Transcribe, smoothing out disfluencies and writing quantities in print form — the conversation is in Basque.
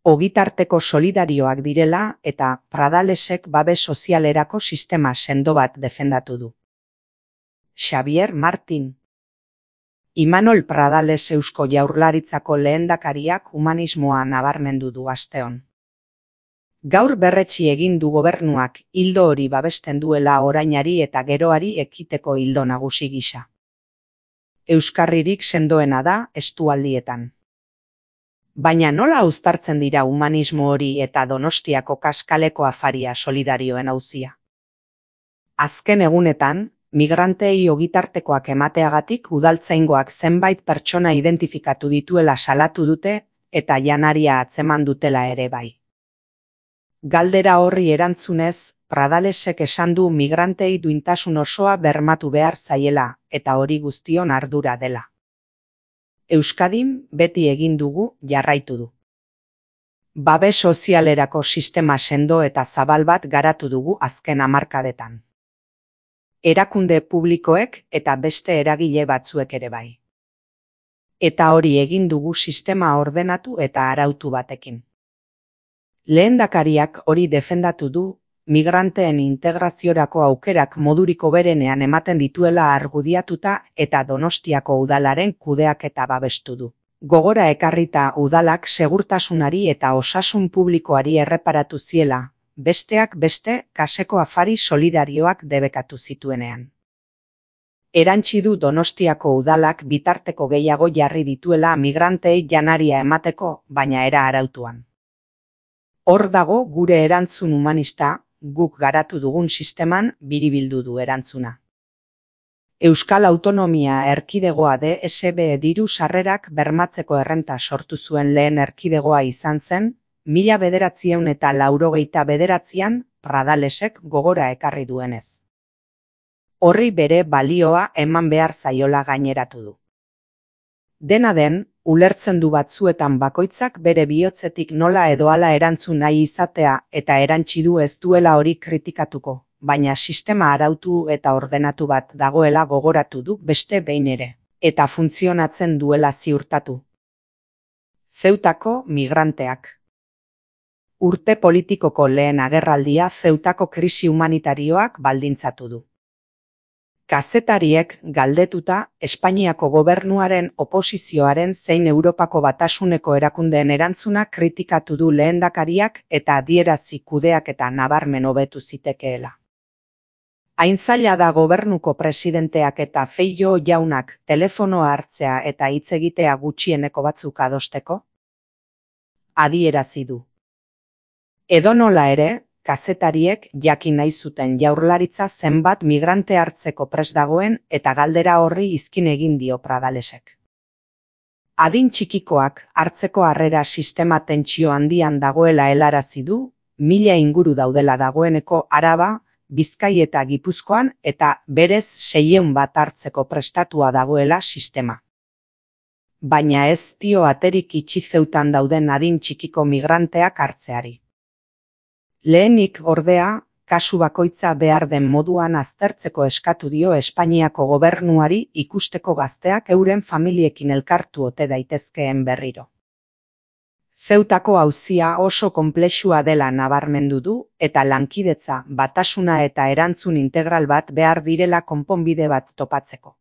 ogitarteko solidarioak direla eta Pradalesek babes sozialerako sistema sendo bat defendatu du. Xavier Martin. Imanol Pradales Eusko Jaurlaritzako lehendakariak humanismoa nabarmendu du asteon. Gaur berretsi egin du gobernuak ildo hori babesten duela orainari eta geroari ekiteko ildo nagusi gisa. Euskarririk sendoena da estualdietan. Baina nola uztartzen dira humanismo hori eta Donostiako kaskaleko afaria solidarioen auzia? Azken egunetan, migrantei ogitartekoak emateagatik udaltzaingoak zenbait pertsona identifikatu dituela salatu dute eta janaria atzeman dutela ere bai. Galdera horri erantzunez, Pradalesek esan du migrantei duintasun osoa bermatu behar zaiela eta hori guztion ardura dela. Euskadin beti egin dugu jarraitu du. Babes sozialerako sistema sendo eta zabal bat garatu dugu azken hamarkadetan. Erakunde publikoek eta beste eragile batzuek ere bai. Eta hori egin dugu sistema ordenatu eta arautu batekin. Lehendakariak hori defendatu du, migranteen integraziorako aukerak moduriko berenean ematen dituela argudiatuta eta Donostiako udalaren kudeaketa babestu du. Gogora ekarrita udalak segurtasunari eta osasun publikoari erreparatu ziela, besteak beste kaseko afari solidarioak debekatu zituenean. Erantsi du Donostiako udalak bitarteko gehiago jarri dituela migrantei janaria emateko, baina era arautuan. Hor dago gure erantzun humanista, guk garatu dugun sisteman biribildu du erantzuna. Euskal Autonomia Erkidegoa DSB diru sarrerak bermatzeko errenta sortu zuen lehen erkidegoa izan zen, 1989an Pradalesek gogora ekarri duenez. Horri bere balioa eman behar zaiola gaineratu du. Dena den, ulertzen du batzuetan bakoitzak bere bihotzetik nola edo hala erantzun nahi izatea eta erantsi du ez duela hori kritikatuko, baina sistema arautu eta ordenatu bat dagoela gogoratu du beste behin ere, eta funtzionatzen duela ziurtatu. Zeutako migranteak. Urte politikoko lehen agerraldia Zeutako krisi humanitarioak baldintzatu du. Kazetariek galdetuta Espainiako gobernuaren oposizioaren zein Europako Batasuneko erakundeen erantzuna kritikatu du lehendakariak eta adierazi kudeaketa nabarmen hobetu zitekeela. Hain zaila da gobernuko presidenteak eta Feijóo jaunak telefonoa hartzea eta hitz egitea gutxieneko batzuk adosteko? Adierazi du. Edonola ere, kazetariek jakin nahi zuten Jaurlaritza zenbat migrante hartzeko prest dagoen eta galdera horri izkin egin dio Pradalesek. Adin txikikoak hartzeko harrera sistema tentsio handian dagoela helarazi du, 1000 inguru daudela dagoeneko Araba, Bizkai eta Gipuzkoan eta berez 600 bat hartzeko prestatua dagoela sistema. Baina ez dio aterik itxi Zeutan dauden adin txikiko migranteak hartzeari. Lehenik, ordea, kasu bakoitza behar den moduan aztertzeko eskatu dio Espainiako gobernuari ikusteko gazteak euren familiekin elkartu ote daitezkeen berriro. Zeutako auzia oso konplexua dela nabarmendu du eta lankidetza, batasuna eta erantzun integral bat behar direla konponbide bat topatzeko.